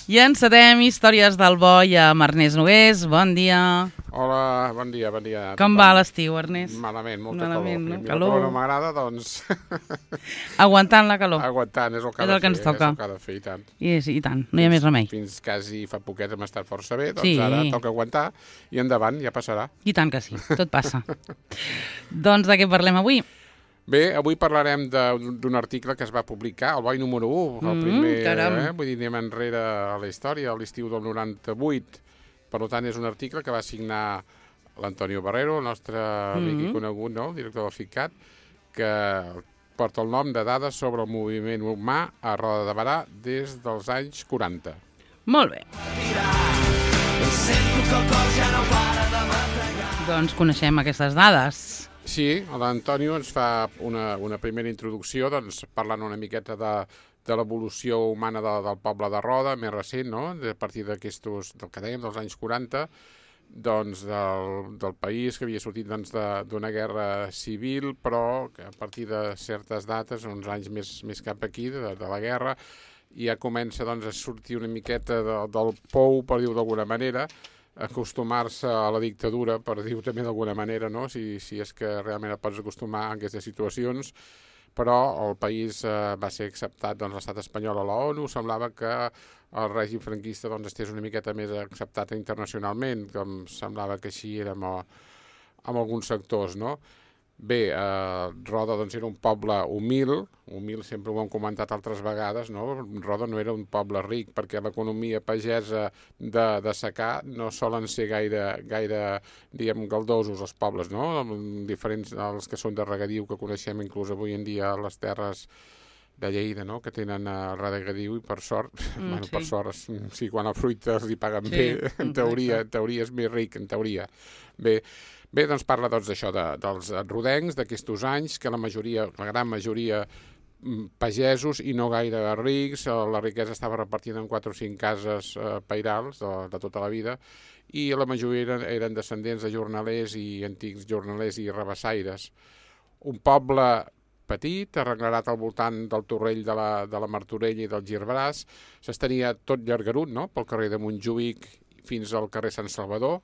I encetem Històries del Boi amb Ernest Nogués. Bon dia. Hola, bon dia. Com va l'estiu, Ernest? Malament, molta Malament, calor. no? I la Calor. calor no m'agrada, doncs... Aguantant la calor. Aguantant, és el que És el que ens toca. És el que ha de fer, i tant. I tant, no hi ha més remei. Fins quasi fa poquet hem estat força bé, doncs Sí. ara toca aguantar i endavant, ja passarà. I tant que sí, tot passa. Doncs de què parlem avui? Bé, avui parlarem d'un article que es va publicar, el Boi número 1, el primer, caram. vull dir, anem enrere a la història, a l'estiu del 98. Per tant, és un article que va signar l'Antonio Barrero, el nostre amic i conegut, no?, el director del FICCAT, que porta el nom de Dades sobre el moviment humà a Roda de Berà des dels anys 40. Molt bé. Doncs coneixem aquestes dades. Sí, l'Antonio ens fa una primera introducció, doncs, parlant una miqueta de l'evolució humana del poble de Roda, més recent, no?, a partir del que dèiem, dels anys 40, doncs, del país que havia sortit doncs, d'una guerra civil, però que a partir de certes dates, uns anys més cap aquí, de la guerra, ja comença doncs, a sortir una miqueta del pou, per dir-ho d'alguna manera, acostumar-se a la dictadura, per dir-ho també d'alguna manera, no?, si és que realment et pots acostumar a aquestes situacions, però el país va ser acceptat, doncs, l'estat espanyol a l'ONU, semblava que el règim franquista doncs, estés una miqueta més acceptat internacionalment, com semblava que així era amb alguns sectors, no? Bé, Roda doncs, era un poble humil sempre ho hem comentat altres vegades, no? Roda no era un poble ric, perquè l'economia pagesa de secà no solen ser gaire diguem, galdosos els pobles, no? Diferents dels que són de regadiu, que coneixem inclús avui en dia les terres de Lleida, no?, que tenen regadiu i per sort, sí. Per sort, sí, quan el fruita els hi paguen bé, en teoria és més ric, en teoria. Bé, doncs parla d'això, dels rodencs d'aquests anys, que la gran majoria pagesos i no gaire rics, la riquesa estava repartida en 4 o 5 cases pairals de tota la vida, i la majoria eren descendents de jornalers i antics jornalers i rabassaires. Un poble petit, arreglarat al voltant del Torrell de la Martorella i del Girbras, s'estenia tot llargarut, no?, pel carrer de Montjuïc fins al carrer Sant Salvador,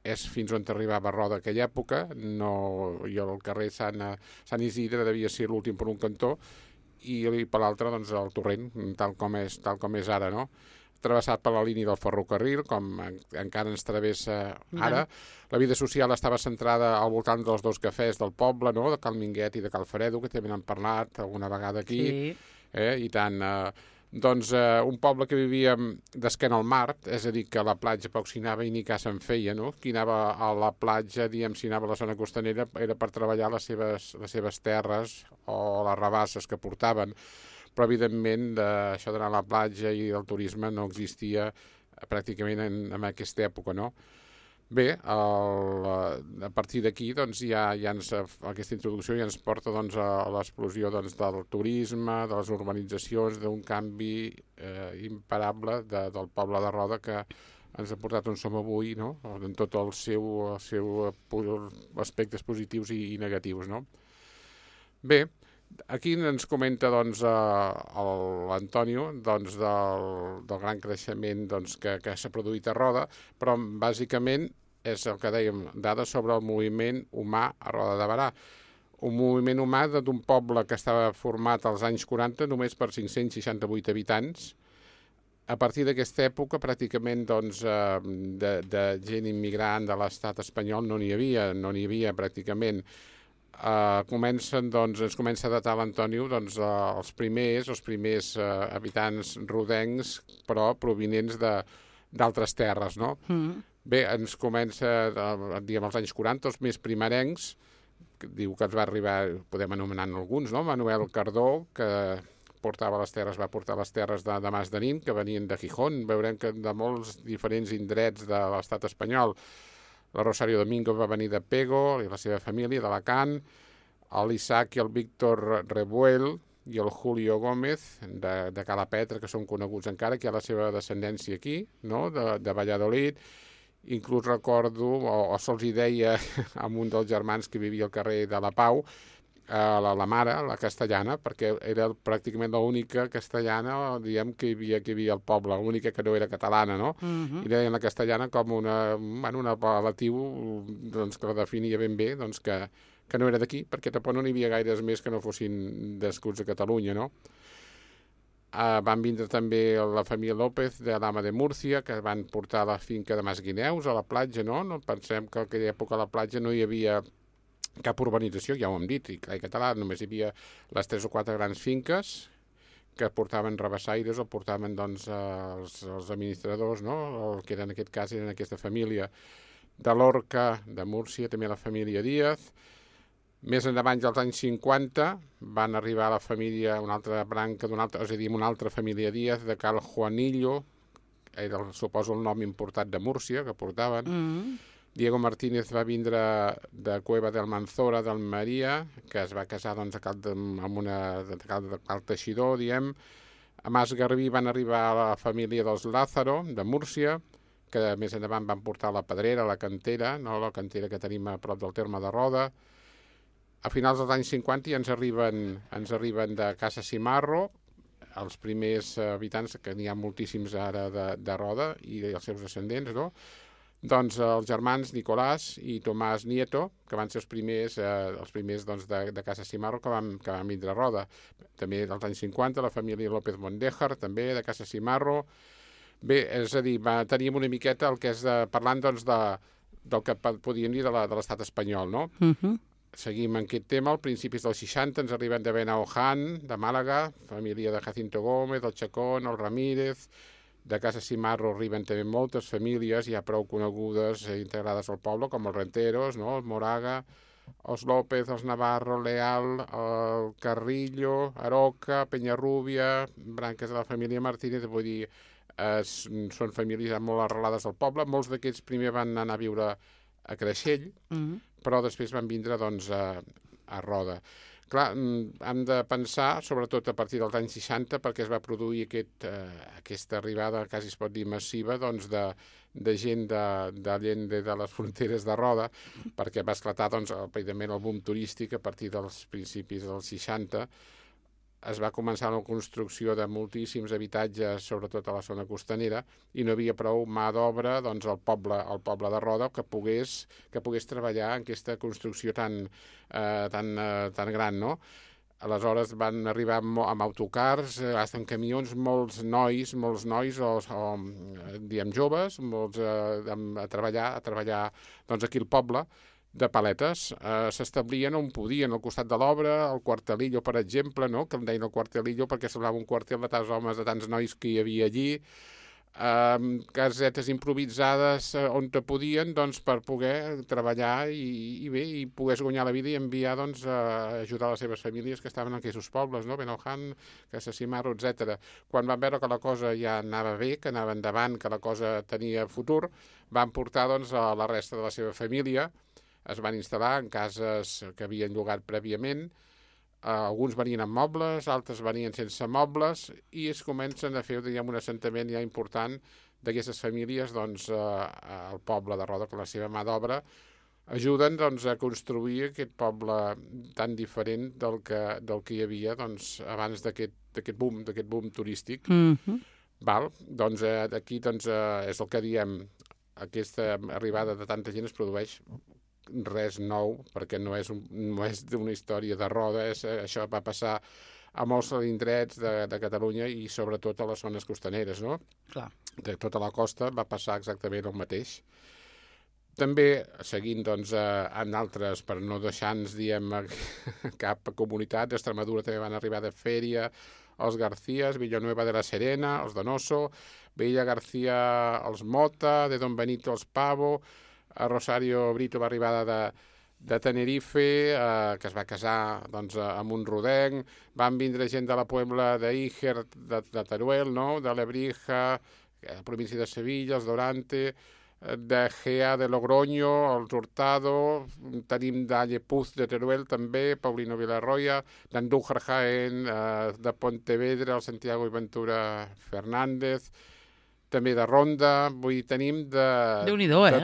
és fins on arribava Roda aquella època, i el carrer Sant Isidre devia ser l'últim per un cantó, i per l'altre doncs, el Torrent, tal com és ara, no?, travessat per la línia del ferrocarril, com encara ens travessa ara. La vida social estava centrada al voltant dels 2 cafès del poble, no?, de Cal Minguet i de Cal Fredo, que també n'han parlat alguna vegada aquí. Sí. I tant... Doncs un poble que vivia d'esquena al mar, és a dir, que a la platja poc s'hi anava i ni cas se'n feia, no? Qui anava a la platja, diguem, si anava a la zona costanera, era per treballar les seves terres o les rabasses que portaven. Però, evidentment, això d'anar a la platja i el turisme no existia pràcticament en aquesta època, no? Bé, a partir d'aquí doncs, aquesta introducció ja ens porta doncs, a l'explosió doncs, del turisme, de les urbanitzacions, d'un canvi imparable del poble de Roda que ens ha portat on som avui, no?, en tot el seu aspectes positius i negatius, no? Bé, aquí ens comenta doncs, l'Antonio doncs, del gran creixement doncs, que s'ha produït a Roda, però bàsicament és el que dèiem, dades sobre el moviment humà a Roda de Berà. Un moviment humà d'un poble que estava format als anys 40 només per 568 habitants. A partir d'aquesta època, pràcticament doncs, de gent immigrant de l'estat espanyol no n'hi havia pràcticament. Ens comença a datar l'Antonio doncs, els primers habitants rodencs, però provinents d'altres terres, no? Bé, ens comença, diguem, als anys 40, els més primerencs, que diu que ens va arribar, podem anomenar alguns, no? Manuel Cardó, que va portar les terres de Mas de Nin, que venien de Gijón. Veurem que de molts diferents indrets de l'estat espanyol. La Rosario Domingo va venir de Pego, i la seva família, d'Alacant, l'Isaac i el Víctor Rebuel i el Julio Gómez, de Calapetra, que són coneguts encara, que hi ha la seva descendència aquí, no?, de Valladolid. Inclús recordo, o se'ls deia a un dels germans que vivia al carrer de la Pau, la mare, la castellana, perquè era pràcticament l'única castellana, diguem, que hi havia al poble, l'única que no era catalana, no? I deien la castellana com un apel·latiu doncs, que la definia ben bé, doncs, que no era d'aquí, perquè tampoc no n'hi havia gaires més que no fossin nascuts a Catalunya, no? Van vindre també la família López de l'Ama de Múrcia, que van portar la finca de Masguineus a la platja, no? No pensem que en aquella època a la platja no hi havia cap urbanització, ja ho hem dit, i clar, i català només hi havia les 3 o 4 grans finques que portaven rabassaires o portaven doncs, els administradors, no? El que era en aquest cas eren aquesta família de Lorca, de Múrcia, també la família Díaz. Més endavant, als anys 50, van arribar a la família, una altra branca, és a dir, una altra família Díaz, de Cal Juanillo, era, suposo, el nom importat de Múrcia, que portaven. Diego Martínez va vindre de Cueva del Manzora, d'Almeria, que es va casar doncs, amb una de Cal Teixidor, diem. A Mas Garbí van arribar a la família dels Lázaro, de Múrcia, que més endavant van portar la Pedrera, la Cantera, no? La Cantera que tenim a prop del terme de Roda. A finals dels anys 50 ja ens arriben de Casa Cimarro, els primers habitants, que n'hi ha moltíssims ara de Roda, i els seus descendents, no? Doncs els germans Nicolás i Tomàs Nieto, que van ser els primers doncs, de Casa Cimarro que van vindre a Roda. També dels anys 50, la família López Mondéjar, també, de Casa Cimarro. Bé, és a dir, teníem una miqueta el que és parlant doncs, del que podíem dir de l'estat espanyol, no? Seguim en aquest tema. Al principis dels 60 ens arriben de Benaoján, de Màlaga, família de Jacinto Gómez, el Chacón, el Ramírez. De Casa Cimarro arriben també moltes famílies ja prou conegudes integrades al poble, com els Renteros, no? El Moraga, els López, els Navarro, el Leal, el Carrillo, Aroca, Penyarrúbia, branques de la família Martínez, vull dir, són famílies molt arrelades al poble. Molts d'aquests primer van anar a viure a Creixell, però després van vindre doncs, a Roda. Clar, hem de pensar, sobretot a partir dels anys 60, perquè es va produir aquesta arribada, quasi es pot dir massiva, doncs, de gent d'Allende, de les fronteres de Roda, perquè va esclatar doncs, evidentment el boom turístic a partir dels principis dels 60. Es va començar la construcció de moltíssims habitatges, sobretot a la zona costanera, i no havia prou mà d'obra doncs, al poble de Roda que pogués treballar en aquesta construcció tan gran, no? Aleshores van arribar amb autocars, amb camions, molts nois o diem joves, molts a treballar doncs, aquí al poble, de paletes, s'establien on podien, al costat de l'obra, al Cuartelillo, per exemple, no? Que em deien el Cuartelillo perquè semblava un quartel de tants homes, de tants nois que hi havia allí, casetes improvisades on te podien doncs, per poder treballar i pogués guanyar la vida i enviar doncs, a ajudar les seves famílies que estaven en aquests pobles, no? Benaoján, Casa Cimarro, etc. Quan van veure que la cosa ja anava bé, que anava endavant, que la cosa tenia futur, van portar doncs, a la resta de la seva família. Es van instal·lar en cases que havien llogat prèviament, alguns venien amb mobles, altres venien sense mobles, i es comencen a fer, diguem, un assentament ja important d'aquestes famílies doncs, al poble de Roda, que la seva mà d'obra ajuden doncs, a construir aquest poble tan diferent del que hi havia doncs, abans d'aquest boom turístic. Val? Doncs aquí doncs, és el que diem, aquesta arribada de tanta gent es produeix res nou, perquè no és una història de Roda, això va passar a molts indrets de Catalunya i sobretot a les zones costaneres, no? Clar. De tota la costa va passar exactament el mateix. També, seguint doncs, en altres, per no deixar-nos, diem, cap comunitat, d'Extremadura també van arribar de Fèria, els Garcías, Villanueva de la Serena, els Donoso, Villa García, els Mota, de Don Benito, els Pavo, a Rosario Brito va arribar de Tenerife, que es va casar doncs, amb un rodenc. Van vindre gent de la Puebla d'Íger, de Teruel, no? De Lebrija, província de Sevilla, els Dorante, de Gea de Logroño, els Hurtado, tenim d'Allepuz de Teruel també, Paulino Villarroya, d'Andújar Jaén, de Pontevedra, el Santiago i Ventura Fernández, també de Ronda, vull dir, tenim de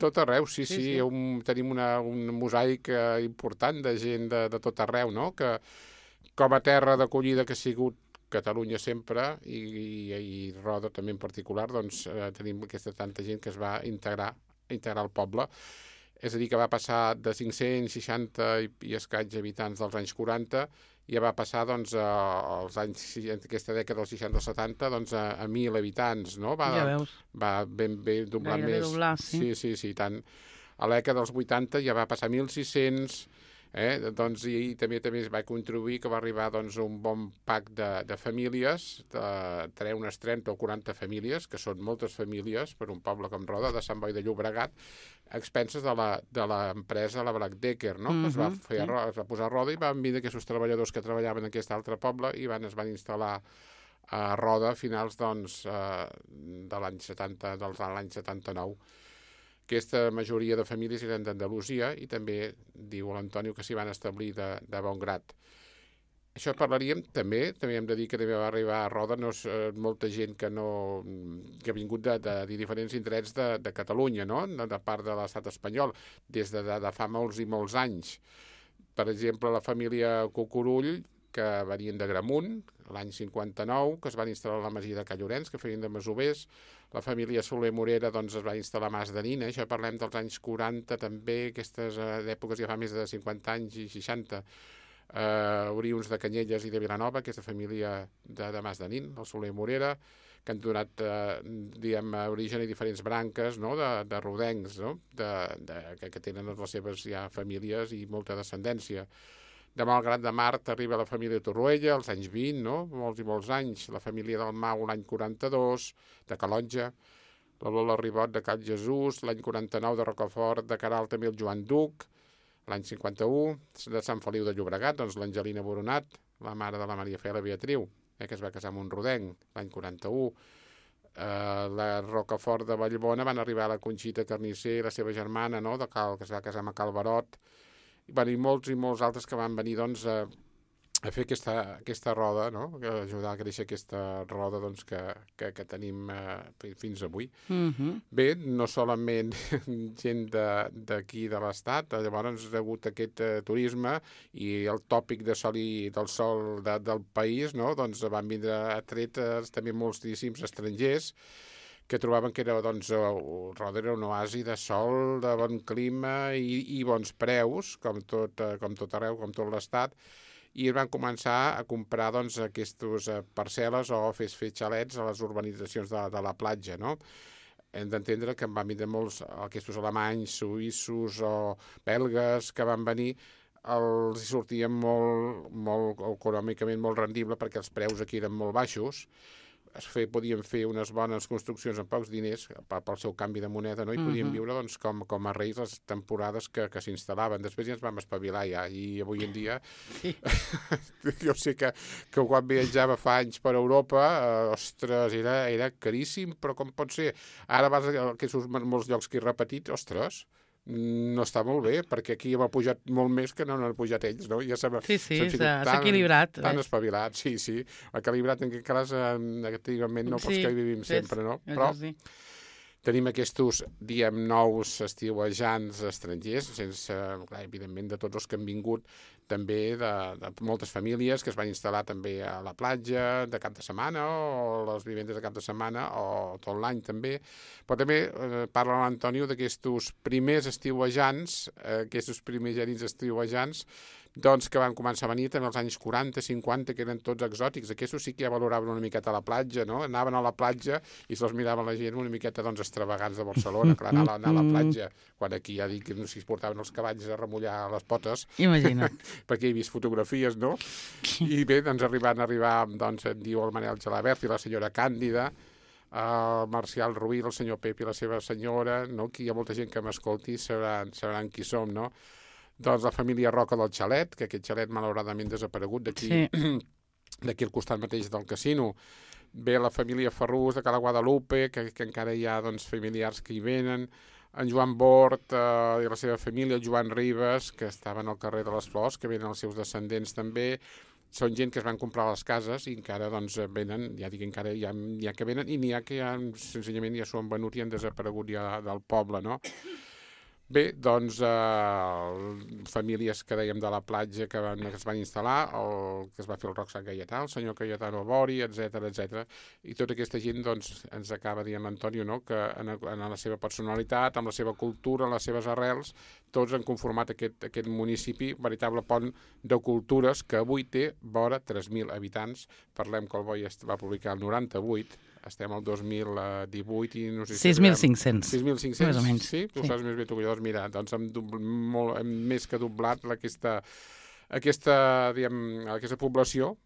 tot arreu, sí. Tenim un mosaic important de gent de tot arreu, no? Que com a terra d'acollida que ha sigut Catalunya sempre, i Roda també en particular, doncs tenim aquesta tanta gent que es va integrar al poble. És a dir, que va passar de 560 i escaig habitants dels anys 40, ja va passar doncs, als anys, aquesta dècada dels 60-70 doncs, a 1.000 habitants, no? Ja veus. Va ben bé doblar Gairebé més. doblar, sí. Sí, tant. A l'època dels 80 ja va passar a 1.600, doncs, i també es va contribuir que va arribar doncs, un bon pack de famílies, unes 30 o 40 famílies, que són moltes famílies per un poble com Roda, de Sant Boi de Llobregat, a expenses de l'empresa, la Black Decker, no? Es va posar a Roda i van vindre aquests treballadors que treballaven en aquest altre poble i es van instal·lar a Roda a finals doncs, de l'any 79. Aquesta majoria de famílies eren d'Andalusia i també diu l'Antonio que s'hi van establir de bon grat. Això parlaríem també hem de dir que també va arribar a Roda molta gent que ha vingut de diferents indrets de Catalunya, no? De part de l'estat espanyol, des de fa molts i molts anys. Per exemple, la família Cucurull, que venien de Gramunt, l'any 59, que es van instal·lar a la masia de Callorenç, que feien de masovers. La família Soler Morera doncs, es va instal·lar a Mas de Nina, això parlem dels anys 40 també, aquestes èpoques ja fa més de 50 anys i 60. Oriuns de Canyelles i de Vilanova, aquesta família de Mas de Nin, el Soler Morera, que han donat origen a diferents branques, no? de rodencs, no? que tenen les seves ja famílies i molta descendència. De Malgrat de Mar arriba la família Torroella als anys 20, no? Molts i molts anys. La família del Mau l'any 42, de Calonja. La Lola Ribot de Cal Jesús, l'any 49 de Rocafort, de Caral també el Joan Duc, l'any 51, de Sant Feliu de Llobregat, doncs l'Angelina Boronat, la mare de la Maria Fela Beatriu, que es va casar amb un rodenc, l'any 41. La Rocafort de Vallbona van arribar a la Conxita Carnisser i la seva germana, no? Que es va casar amb Cal Barot. I molts altres que van venir doncs, a fer aquesta roda, no? A ajudar a créixer aquesta roda doncs, que tenim fins avui. Bé, no solament gent d'aquí de l'Estat, llavors ha hagut aquest turisme i el tòpic del sol del país, no? Doncs van vindre atretes també moltíssims estrangers que trobaven que era, doncs, Roda era un oasi de sol, de bon clima i bons preus, com tot arreu, com tot l'Estat, i van començar a comprar doncs, aquestes parcel·les o fer xalets a les urbanitzacions de la platja, no? Hem d'entendre que en van vindre molts aquests alemanys, suïssos o belgues que van venir, els sortien molt econòmicament molt rendible perquè els preus aquí eren molt baixos. Podien fer unes bones construccions amb pocs diners pel seu canvi de moneda, no? I podien viure doncs, com a reis les temporades que s'instal·laven. Després ja ens vam espavilar ja, i avui en dia jo sé que quan viatjava fa anys per Europa, ostres, era caríssim, però com pot ser? Ara vas a molts llocs que he repetit, ostres, no està molt bé, perquè aquí hem pujat molt més que no han pujat ells, no? Ja s'ha equilibrat. Tan espavilat, sí. Equilibrat en aquest cas negativament, no pels que hi vivim sempre, no? Però tenim aquests, nous estiuejants estrangers, sense, clar, evidentment, de tots els que han vingut, també de moltes famílies que es van instal·lar també a la platja de cap de setmana o les vivendes de cap de setmana o tot l'any també. Però també parla l'Antonio d'aquests primers estiuejants, aquests primerencs estiuejants, doncs que van començar a venir també als anys 40, 50, que eren tots exòtics. Aquests sí que ja valoraven una miqueta a la platja, no? Anaven a la platja i se'ls mirava la gent una miqueta doncs extravagants de Barcelona, clar, anar a la platja, quan aquí ja dic que no s'hi portaven els cavalls a remullar les potes. Imagina't. Perquè he vist fotografies, no? I bé, doncs arribar, doncs, diu el Manel Gelabert i la senyora Càndida, el Marcial Ruiz, el senyor Pep i la seva senyora, no? Aquí hi ha molta gent que m'escolti, sabran qui som, no? Doncs la família Roca del Xalet, que aquest xalet malauradament desaparegut d'aquí al costat mateix del casino. Ve la família Ferrús de Cala Guadalupe, que encara hi ha doncs, familiars que hi venen. En Joan Bort i la seva família, el Joan Ribes, que estaven al carrer de les Flors, que venen els seus descendents també. són gent que es van comprar les cases i encara doncs, venen, ja dic, encara hi ha que venen i n'hi ha que ja, senzillament ja s'ho han venut i han desaparegut ja del poble, no? Bé, doncs, famílies que dèiem de la platja que es van instal·lar, el que es va fer el Roc Sant Gaietà, el senyor Cayetano Bori, etc. I tota aquesta gent doncs, ens acaba dient l'Antonio, no? Que en la seva personalitat, amb la seva cultura, en les seves arrels, tots han conformat aquest municipi, veritable pont de cultures que avui té vora 3.000 habitants. Parlem que el Boi va publicar el 98, estem al 2018 i no sé si... 6.500. 6.500, més o menys. Sí? Tu saps més bé tu que jo. Doncs mira, doncs hem més que doblat aquesta població,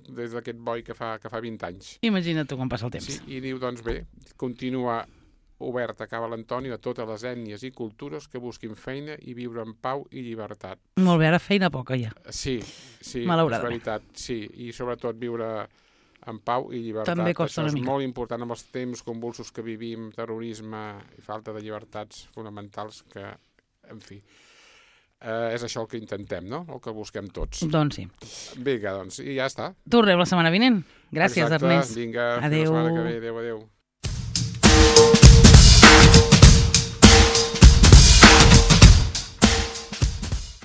des d'aquest Boi que fa 20 anys. Imagina't tu com passa el temps. Sí, i diu, doncs bé, continua obert, acaba l'Antonio, a totes les ètnies i cultures que busquin feina i viure en pau i llibertat. Molt bé, ara feina poca ja. Sí, malauradament. És veritat, sí, i sobretot viure en pau i llibertat. També costa una mica. Això és molt important amb els temps convulsos que vivim, terrorisme i falta de llibertats fonamentals que, en fi, és això el que intentem, no? El que busquem tots. Doncs sí. Vinga, doncs, i ja està. Tornem la setmana vinent. Gràcies, Exacte. Ernest. Vinga, adéu. Fins la setmana que ve. Adéu.